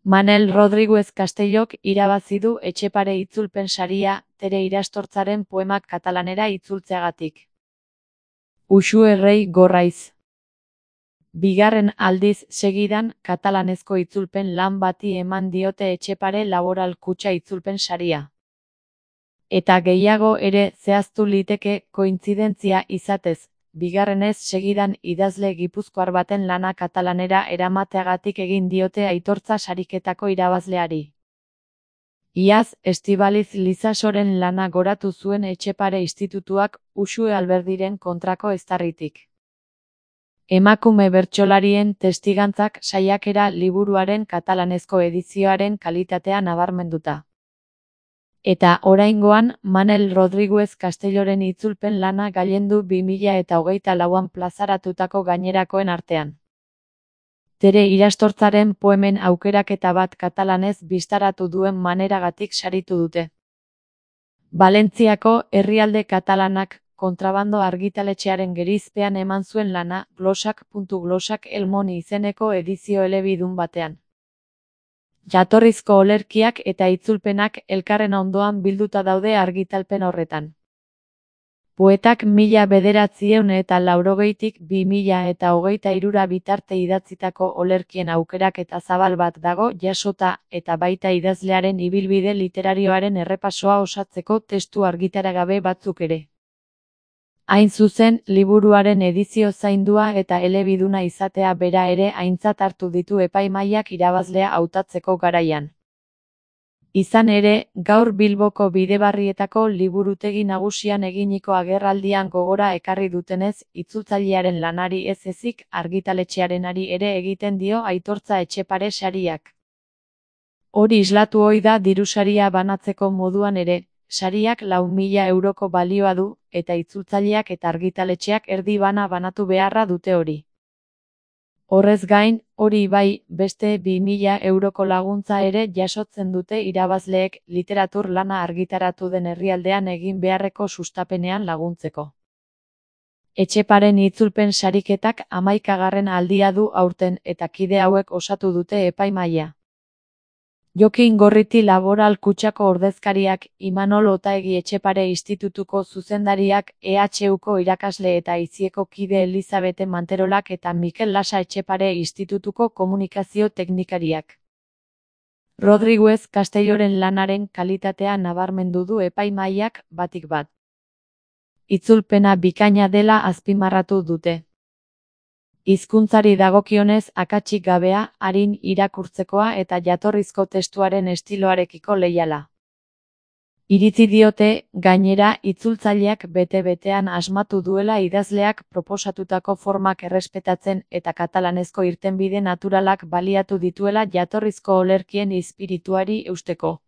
Manel Rodriguez Castellok irabazi du Etxepare itzulpen saria Tere Irastortzaren poemak katalanera itzultzeagatik. Uxue Rei Gorraiz. Bigarren aldiz segidan katalanezko itzulpen lan bati eman diote Etxepare Laboral Kutxa itzulpen saria. Eta gehiago ere zehaztu liteke kointzidentzia izatez, bigarrenez segidan idazle gipuzkoar baten lana katalanera eramateagatik egin diote aitortza sariketako irabazleari. Iaz, Estibaliz Lizasoren lana goratu zuen Etxepare Institutuak Uxue Alberdiren kontrako eztarritik. Emakume bertsolarien testigantzak saiakera liburuaren katalanezko edizioaren kalitatea nabarmenduta. Eta oraingoan Manel Rodriguez Castelloren itzulpen lana gailendu 2024an plazaratutako gainerakoen artean. Tere Irastortzaren poemen aukeraketa bat katalanez bistaratu duen maneragatik saritu dute. Valentziako herrialde katalanak kontrabando argitaletxearen gerizpean eman zuen lana glosak.glosak Elmon izeneko edizio elebidun batean. Jatorrizko olerkiak eta itzulpenak elkarren ondoan bilduta daude argitalpen horretan. Poetak 1980tik 2023 bitarte idatzitako olerkien aukeraketa zabal bat dago jasota eta baita idazlearen ibilbide literarioaren errepasoa osatzeko testu argitaragabe batzuk ere. Hain zuzen, liburuaren edizio zaindua eta elebiduna izatea bera ere aintzat hartu ditu epaimahaiak irabazlea hautatzeko garaian. Izan ere, gaur Bilboko Bidebarrietako liburutegi nagusian eginiko agerraldian gogora ekarri dutenez, itzultzailearen lanari ez ezik argitaletxearenari ere egiten dio aitortza Etxepare sariak. Hori islatu ohi da dirusaria banatzeko moduan ere, sariak 4.000 euroko balioa du, eta itzultzaileak eta argitaletxeak erdi bana banatu beharra dute hori. Horrez gain, hori bai, beste 2.000 euroko laguntza ere jasotzen dute irabazleek literatur lana argitaratu den herrialdean egin beharreko sustapenean laguntzeko. Etxeparen itzulpen sariketak 11. aldia du aurten eta kide hauek osatu dute epaimahaia. Jokin Gorriti Laboral Kutxako ordezkariak, Imanol Otaegi Etxepare Institutuko zuzendariak, EHUko irakasle eta Aizieko kide Elizabete Manterolak eta Mikel Lasa Etxepare Institutuko komunikazio teknikariak. Rodriguez Castelloren lanaren kalitatea nabarmendu du epaimahaiak batik bat. Itzulpena bikaina dela azpimarratu dute. Hizkuntzari dagokionez akatsik gabea, arin irakurtzekoa eta jatorrizko testuaren estiloarekiko leiala. Iritzi diote, gainera, itzultzaileak bete-betean asmatu duela idazleak proposatutako formak errespetatzen eta katalanezko irtenbide naturalak baliatu dituela jatorrizko olerkien espirituari eusteko.